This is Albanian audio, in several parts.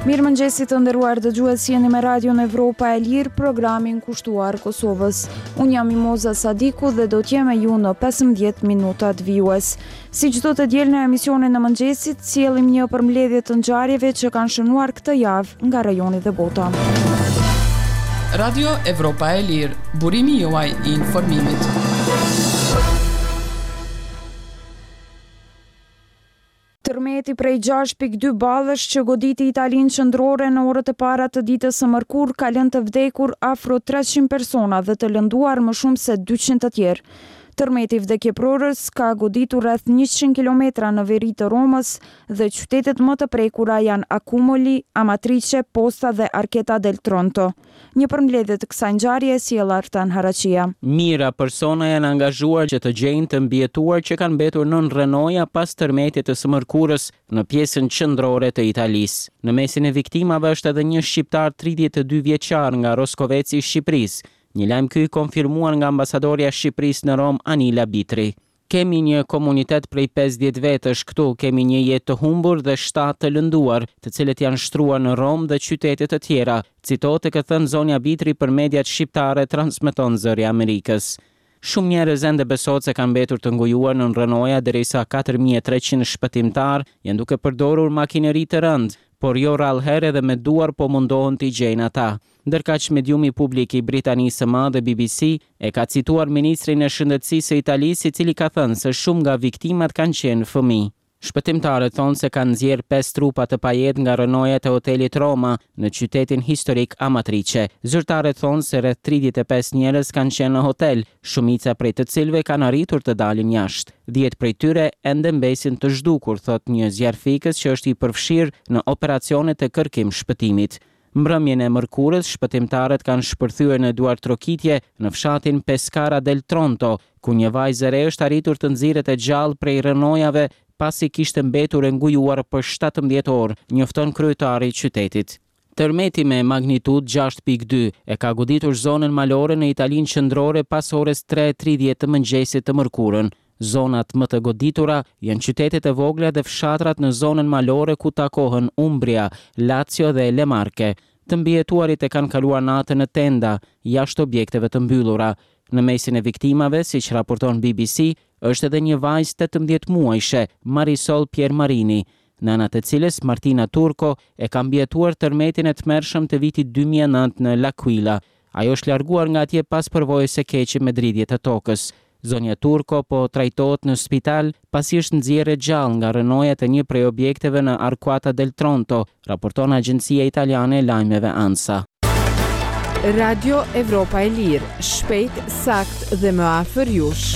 Mirëmëngjesi të nderuar dëgjues jeni me Radion Evropa e Lirë, programin kushtuar Kosovës. Unë jam Mimoza Sadiku dhe do t'jem me ju në 15 minutat vijues. Si çdo të diel në emisionin e mëngjesit, sjellim një përmbledhje të ngjarjeve që kanë shënuar këtë javë nga rajoni dhe bota. Radio Evropa e Lirë, burimi juaj i informimit. Tërmeti prej 6.2 ballësh që goditi Italinë qendrore në orët e para të ditës së mërkurë ka lënë të vdekur afro 300 persona dhe të lënduar më shumë se 200 të tjerë. Tërmeti vdekjeprurës ka goditur rreth 100 kilometra në veri të Romës dhe qytetet më të prekura janë Accumoli, Amatrice, Posta dhe Arquata del Tronto. Një përmbledhje të kësaj ngjarje e sjell Artan Haraqia. Mijëra persona janë angazhuar që të gjejnë të mbijetuar që kanë mbetur nën rrënoja pas tërmetit të së mërkurës në pjesën qendrore të Italisë. Në mesin e viktimave është edhe një shqiptar 32 vjeçar nga Roskoveci i Shqipërisë, Një lajm ky i konfirmuar nga ambasadorja e Shqipërisë në Romë, Anila Bitri. Kemi një komunitet prej 50 vetësh këtu, kemi një jetë të humbur dhe shtatë të lënduar, të cilët janë shtruar në Romë dhe qytete të tjera, citohet të ketë thënë zonja Bitri për mediat shqiptare, transmeton Zëri i Amerikës. Shumë njerëz ende besohet se kanë mbetur të ngujuar nën rrënoja derisa 4300 shpëtimtarë janë duke përdorur makineri të rëndë, por jo rrallëherë edhe me duar po mundohen t'i gjejnë ata. Ndërkaq mediumi publik i Britanisë së Madhe BBC e ka cituar ministrin e Shëndetësisë së Italisë i cili ka thënë se shumë nga viktimat kanë qenë fëmijë. Shpëtimtarët thonë se kanë nxjerrë pesë trupa të pajetë nga rrënojat e hotelit Roma në qytetin historik Amatrice. Zyrtarët thonë se rreth 35 njerëz kanë qenë në hotel, shumica prej të cilëve kanë arritur të dalin jashtë. 10 prej tyre ende mbesin të zhdukur, thotë një zjarrfikës që është i përfshirë në operacionet e kërkim-shpëtimit. Mbrëmjen e mërkurës, shpëtimtarët kanë shpërthyer në duartrokitje në fshatin Pescara del Tronto, ku një vajzë e re është arritur të nxirret e gjallë prej rrënojave pasi kishte mbetur e ngujuar për 17 orë, njofton kryetari i qytetit. Tërmeti me magnitudë 6.2 e ka goditur zonën malore në Italinë qendrore pas orës 3:30 të mëngjesit të mërkurën. Zonat më të goditura janë qytetet e vogla dhe fshatrat në zonën malore ku takohen Umbria, Lazio dhe Le Marche. Të mbijetuarit e kanë kaluar natën në tenda, jashtë objekteve të mbyllura. Në mesin e viktimave, siç raporton BBC, është edhe një vajzë 18 muajshe, Marisol Piermarini, nëna të cilës, Martina Turco, e ka mbijetuar tërmetin e tmerrshëm të vitit 2009 në L'Aquila. Ajo është larguar nga atje pas përvojës së keqe me dridhje të tokës. Zonja Turco po trajtohet në spital pasi është nxjerrë e gjallë nga rrënojat e një prej objekteve në Arquata del Tronto, raporton agjencia italiane e lajmeve ANSA. Radio Evropa e Lirë, shpejt, saktë dhe më afër jush.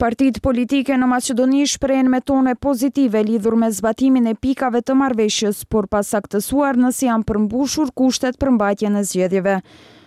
Partitë politike në Maqedoni shprehen me tone pozitive lidhur me zbatimin e pikave të marrëveshjes, por pa saktësuar nëse janë përmbushur kushtet për mbajtjen e zgjedhjeve.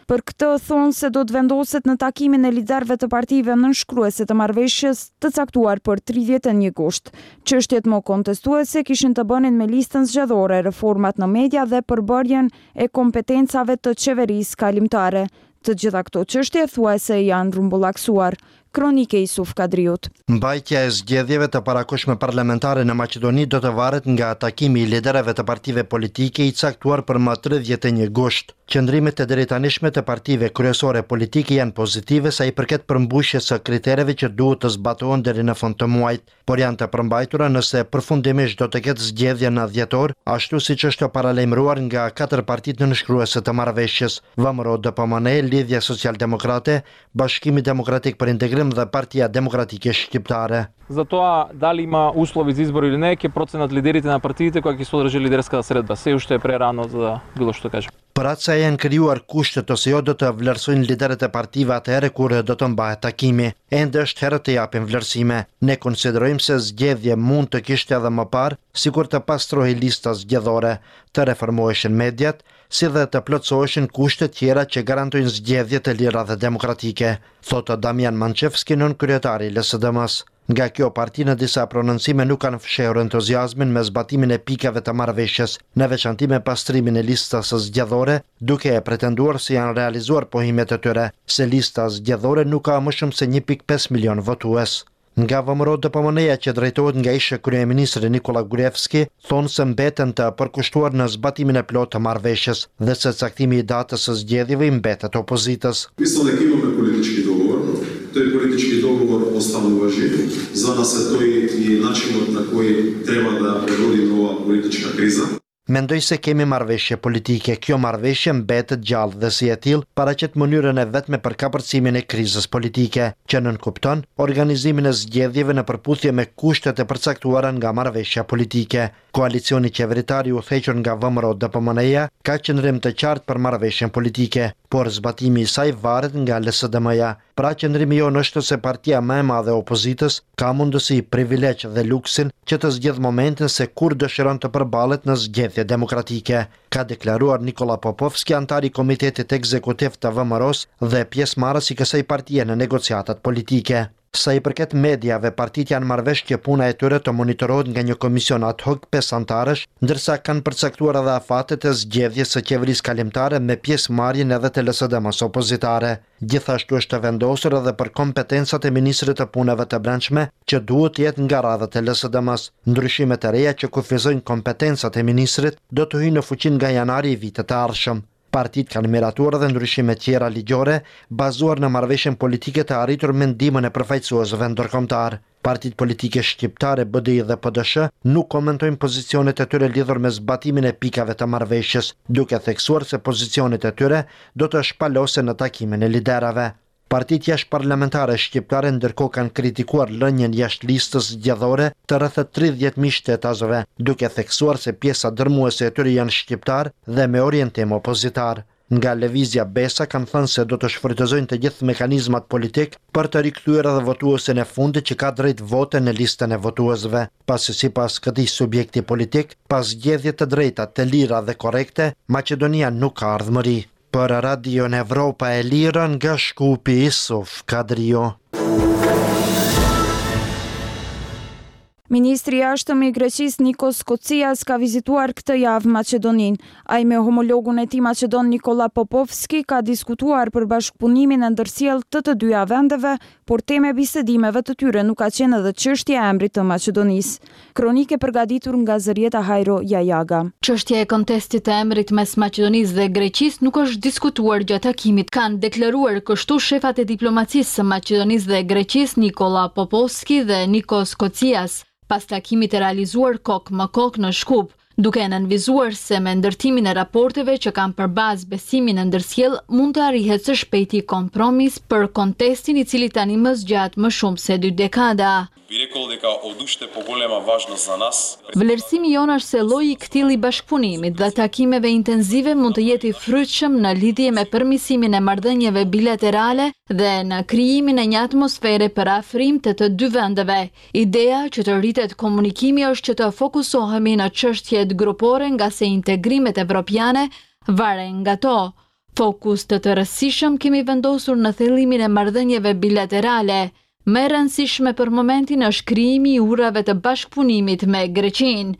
Për këtë thonë se do të vendoset në takimin e liderëve të partive nënshkruese të marrëveshjes të caktuar për 31 gusht. Çështjet më kontestuese kishin të bënin me listën zgjedhore, reformat në media dhe përbërjen e kompetencave të qeverisë kalimtare. Të gjitha këto çështje thuajse janë rrumbullaksuar. Kronikë e Isuf Kadriut. Mbajtja e zgjedhjeve të parakohshme parlamentare në Maqedoni do të varet nga takimi i liderëve të partive politike i caktuar për më 31 gusht. Qëndrimet e deritanishme të partive kryesore politike janë pozitive sa i përket përmbushjes së kritereve që duhet të zbatohen deri në fund të muajit. por janë të përmbajtura nëse përfundimisht do të ketë zgjedhje në dhjetor, ashtu siç është paralajmëruar nga katër partitë nënshkruese të marrëveshjes, VMRO DPMNE, Lidhja Socialdemokrate, Bashkimi Demokratik për Integrim dhe Partia Demokratike Shqiptare. За тоа дали има услови за избор или не, ќе проценат лидерите на партиите кога ќе се одржи лидерската средба. Се уште е прерано за да било што кажем. Për atë se a janë krijuar kushtet ose jo do të vlerësojnë liderët e partive atëherë kur do të mbahet takimi. Ende është herët të japim vlerësime. Ne konsiderojmë se zgjedhje mund të kishte edhe më parë, sikur të pastrohej lista zgjedhore, të reformoheshin mediat, si dhe të plotësoheshin kushtet tjera që garantojnë zgjedhje të lira dhe demokratike, thotë Damian Mançevski, nënkryetari i LSDM-së. Nga kjo parti në disa prononcime nuk kanë fshehur entuziazmin me zbatimin e pikave të marrëveshjes, në veçanti me pastrimin e listës zgjedhore, duke pretenduar se janë realizuar pohimet e tyre, se lista zgjedhore nuk ka më shumë se 1.5 milion votues. Nga VMRO-DPMNE-ja që drejtohet nga ish-kryeministri Nikolla Gruevski, thonë se mbeten të përkushtuar në zbatimin e plotë të marrëveshjes dhe se caktimi i datës së zgjedhjeve i mbetet opozitës. Мислам дека имаме политички договор. Тој политички договор останува жив. За нас е тој и начинот на кој треба да пребродиме оваа политичка криза. Mendoj se kemi marrëveshje politike, kjo marrëveshje mbetet gjallë dhe si e tillë paraqet mënyrën e vetme për kapërcimin e krizës politike, që nënkupton organizimin e zgjedhjeve në përputhje me kushtet e përcaktuara nga marrëveshja politike. Koalicioni qeveritar i udhëhequr nga VMRO-DPMNE-ja ka qëndrim të qartë për marrëveshjen politike, por zbatimi i saj varet nga LSDM-ja. Pra qëndrimi jonë është se partia më e madhe e opozitës ka mundësi, privilegj dhe luksin që të zgjedhë momentin se kur dëshiron të përballet në zgjedhje demokratike, ka deklaruar Nikolla Popovski, anëtar i Komitetit Ekzekutiv të VMRO-së dhe pjesëmarrës i kësaj partie në negociatat politike. Sa i përket mediave, partitë janë marrë vesh që puna e tyre të monitorohet nga një komision ad hoc pesë anëtarësh, ndërsa kanë përcaktuar edhe afatet e zgjedhjes së qeverisë kalimtare me pjesëmarrjen edhe të LSDM-së opozitare. Gjithashtu është vendosur edhe për kompetencat e ministrit të Punëve të Brendshme, që duhet të jetë nga radhët e LSDM-së. Ndryshimet e reja që kufizojnë kompetencat e ministrit do të hyjnë në fuqi nga janari i vitit të ardhshëm. Partitë kanë miratuar edhe ndryshime tjera ligjore, bazuar në marrëveshjen politike të arritur me ndihmën e përfaqësuesve ndërkombëtarë. Partitë politike shqiptare, BDI dhe PDSH, nuk komentojnë pozicionet e tyre lidhur me zbatimin e pikave të marrëveshjes, duke theksuar se pozicionet e tyre do të shpalosen në takimin e liderëve. Partitë jashtëparlamentare shqiptare ndërkohë kanë kritikuar lënien jashtë listës zgjedhore të rreth 30.000 shtetasve, duke theksuar se pjesa dërmuese e tyre janë shqiptarë dhe me orientim opozitar. Nga Lëvizja Besa kanë thënë se do të shfrytëzojnë të gjithë mekanizmat politikë për të rikthyer edhe votuesin e fundit që ka drejt vote në listën e votuesve, pasi sipas këtij subjekti politik, pa zgjedhje të drejta, të lira dhe korrekte, Maqedonia nuk ka ardhmëri. Për Radion Evropa e Lirë nga Shkupi, Isuf Kadriu. Ministri i Jashtëm i Greqisë Nikos Kotzias ka vizituar këtë javë Maqedoninë. Ai me homologun e tij maqedon Nikolla Popovski ka diskutuar për bashkëpunimin e ndërsjellë të të dyja vendeve, por temë e bisedimeve të tyre nuk ka qenë edhe çështja e emrit të Maqedonisë. Kronikë e përgatitur nga Zërjeta Hajro Jajaga. Çështja e kontestit të emrit mes Maqedonisë dhe Greqisë nuk është diskutuar gjatë takimit, kanë deklaruar kështu shefat e diplomacisë së Maqedonisë dhe Greqisë Nikolla Popovski dhe Nikos Kotzias, pas takimit të realizuar kokë më kokë në Shkup, duke nënvizuar se me ndërtimin e raporteve që kanë për bazë besimin e ndërsjellë mund të arrihet së shpejti kompromis për kontestin i cili tani më zgjat më shumë se dy dekada. Би рекол дека од уште поголема важност за нас. Vlerësimi jonë është se lloji i këtillë i bashkëpunimit dhe takimeve intensive mund të jetë i frytshëm në lidhje me përmirësimin e marrëdhënieve bilaterale dhe në krijimin e një atmosfere për afrim të të dy vendeve. Ideja që të rritet komunikimi është që të fokusohemi në çështjet grupore ngase integrimet evropiane varen nga to. Fokus të tërësishëm kemi vendosur në thellimin e marrëdhënieve bilaterale. Më e rëndësishme për momentin është krijimi i urave të bashkëpunimit me Greqinë,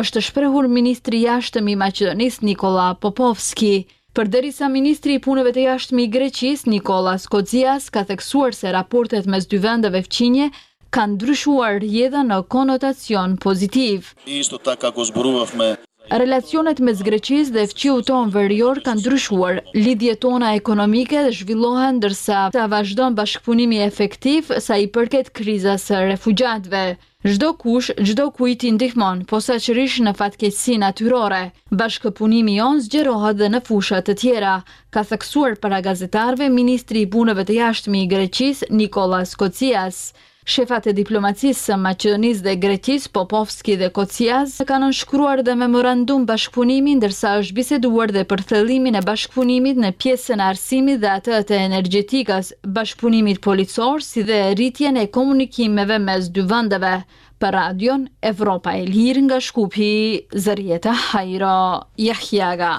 është shprehur ministri i Jashtëm i Maqedonisë Nikolla Popovski. Përderisa ministri i Punëve të Jashtme i Greqisë, Nikolla Kotzias, ka theksuar se raportet mes dy vendeve fqinje kanë ndryshuar rrjedhën në konotacion pozitiv. Isto така го зборувавме Relacionet mes Greqisë dhe fqiut tonë verior kanë ndryshuar, lidhjet tona ekonomike zhvillohen ndërsa vazhdon bashkëpunimi efektiv sa i përket krizës së refugjatëve. Çdo kush, çdo kujt i ndihmon, posaçërisht në fatkeqësi natyrore. Bashkëpunimi jonë zgjerohet dhe në fusha të tjera, ka theksuar para gazetarëve ministri i Punëve të Jashtme i Greqisë, Nikolla Kotzias. Shefat e diplomacisë së Maqedonisë dhe Greqisë, Popovski dhe Kotzias, kanë nënshkruar dhe memorandum bashkëpunimi, ndërsa është biseduar dhe për thellimin e bashkëpunimit në pjesën e arsimit dhe atë të energjetikës, bashkëpunimit policor, si dhe rritjen e komunikimeve mes dy vendeve. Për Radion Evropa e Lirë nga Shkupi, Zërjeta Hajro Jahjaga.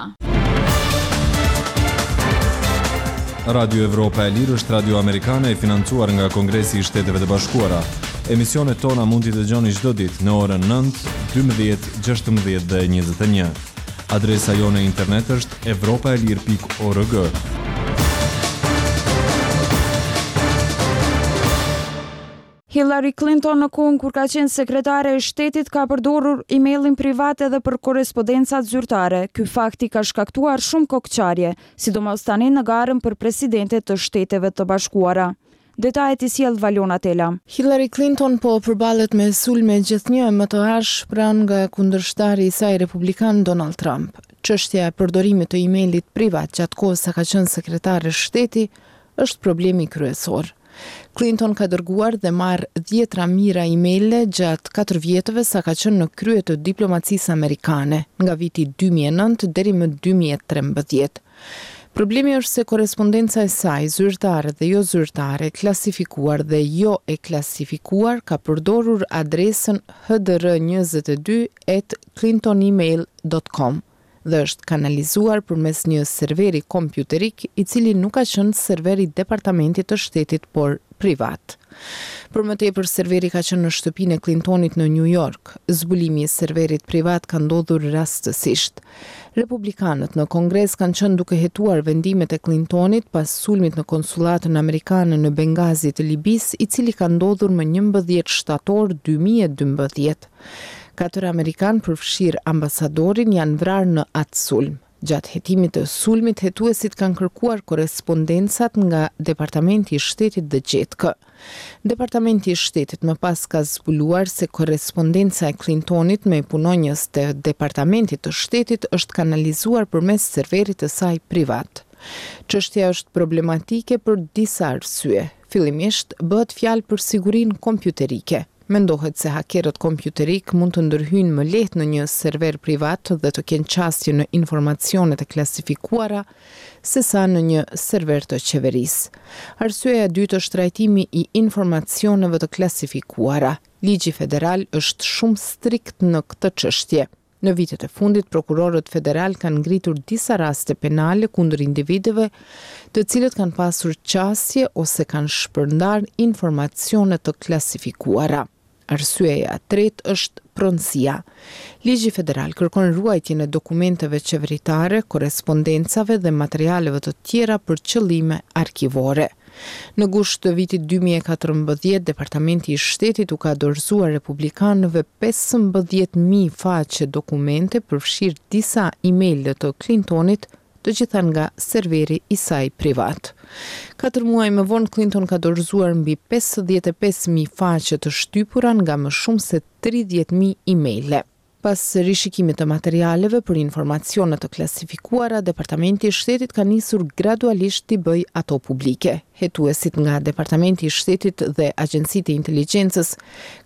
Radio Evropa e Lirë është radio amerikane e financuar nga Kongresi i Shteteve të Bashkuara. Emisionet tona mund t'i dëgjoni çdo ditë në orën 9, 12, 16 dhe 21. Adresa jonë e internet është evropaelire.org. Hillary Clinton në kohën kur ka qenë sekretare e shtetit ka përdorur emailin privat edhe për korrespondencat zyrtare. Ky fakt i ka shkaktuar shumë kokëçarje, sidomos tani në garën për presidente të Shteteve të Bashkuara. Detajet i sjell Valona Tela. Hillary Clinton po përballet me sulme gjithnjë e më të ashpra nga kundërshtari i saj republikan Donald Trump. Çështja e përdorimit të emailit privat gjatë kohës sa ka qenë sekretare shteti është problemi kryesor. Clinton ka dërguar dhe marrë dhjetra mijëra emaile gjatë katër vjetëve sa ka qenë në krye të diplomacisë amerikane, nga viti 2009 deri më 2013. Problemi është se korrespondenca e saj, zyrtare dhe jo zyrtare, e klasifikuar dhe jo e klasifikuar, ka përdorur adresën hdr 22 at clintonemail dot com dhe është kanalizuar përmes një serveri kompjuterik i cili nuk ka qenë server i Departamentit të Shtetit por privat. Për më tepër serveri ka qenë në shtëpinë e Clintonit në Nju Jork. Zbulimi i serverit privat ka ndodhur rastësisht. Republikanët në Kongres kanë qenë duke hetuar vendimet e Clintonit pas sulmit në konsullatën amerikane në Bengazi të Libisë, i cili ka ndodhur më 11 shtator 2012. Katër amerikanë, përfshirë ambasadorin, janë vrarë në atë sulm. Gjatë hetimit të sulmit, hetuesit kanë kërkuar korrespondencat nga Departamenti i Shtetit dhe gjetkë. Departamenti i Shtetit më pas ka zbuluar se korrespondenca e Clintonit me punonjës të Departamentit të Shtetit është kanalizuar përmes serverit të saj privat. Çështja është problematike për disa arsye. Fillimisht, bëhet fjalë për sigurinë kompjuterike. Mendohet se hakerët kompjuterikë mund të ndërhyjnë më lehtë në një server privat dhe të kenë qasje në informacionet e klasifikuara sesa në një server të qeverisë. Arsyeja e dytë është trajtimi i informacioneve të klasifikuara. Ligji federal është shumë strikt në këtë çështje. Në vitet e fundit, prokurorët federalë kanë ngritur disa raste penale kundër individëve të cilët kanë pasur qasje ose kanë shpërndarë informacione të klasifikuara. Arsyeja e tretë është pronësia. Ligji federal kërkon ruajtjen e dokumenteve qeveritare, korrespondencave dhe materialeve të tjera për qëllime arkivore. Në gusht të vitit 2014, Departamenti i Shtetit u ka dorëzuar republikanëve 15.000 faqe dokumente, përfshirë disa emaile të Clintonit, të gjitha nga serveri i saj privat. Katër muaj më vonë, Clinton ka dorëzuar mbi 55.000 faqe të shtypura nga më shumë se 30.000 emaile. Pas rishikimit të materialeve për informacione të klasifikuara, Departamenti i Shtetit ka nisur gradualisht t'i bëjë ato publike. Hetuesit nga Departamenti i Shtetit dhe agjencitë e inteligjencës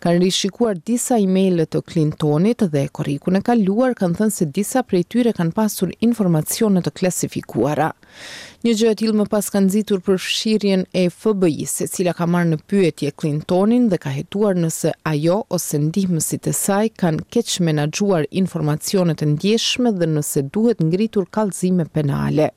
kanë rishikuar disa emaile të Clintonit dhe korrikun e kaluar kanë thënë se disa prej tyre kanë pasur informacione të klasifikuara. Një gjë e tillë më pas ka nxitur përfshirjen e FBI-së, e cila ka marrë në pyetje Clintonin dhe ka hetuar nëse ajo ose ndihmësit e saj kanë keqmenaxhuar informacionet e ndjeshme dhe nëse duhet ngritur kallëzime penale.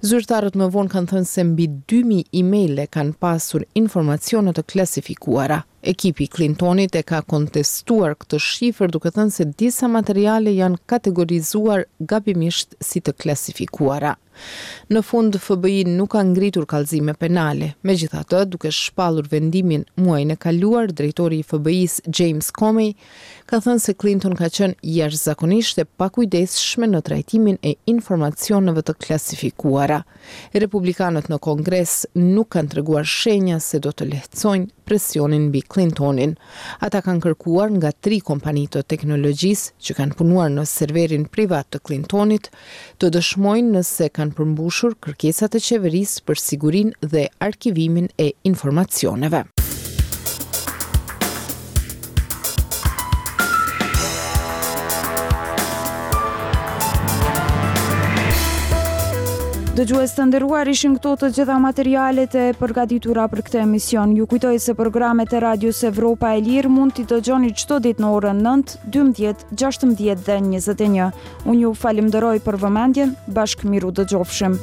Zyrtarët më vonë kanë thënë se mbi 2000 emaile kanë pasur informacione të klasifikuara. Ekipi i Clintonit e ka kontestuar këtë shifër duke thënë se disa materiale janë kategorizuar gabimisht si të klasifikuara. Në fund, FBI nuk ka ngritur kallëzime penale. Megjithatë, duke shpallur vendimin muajin e kaluar, drejtori i FBI-së James Comey ka thënë se Clinton ka qenë jashtëzakonisht e pakujdesshme në trajtimin e informacioneve të klasifikuara. Republikanët në Kongres nuk kanë treguar shenja se do të lehtësojnë presionin mbi Clintonin. Ata kanë kërkuar nga tri kompani të teknologjisë që kanë punuar në serverin privat të Clintonit të dëshmojnë nëse kanë përmbushur kërkesat e qeverisë për sigurinë dhe arkivimin e informacioneve. Dëgjues të nderuar ishin këto të gjitha materialet e përgatitura për këtë emision. Ju kujtoj se programet e Radios Evropa e Lirë mund t'i dëgjoni çdo ditë në orën 9, 12, 16 dhe 21. Unë ju falimderoj për vëmendjen, bashkë mirudëgjofshim.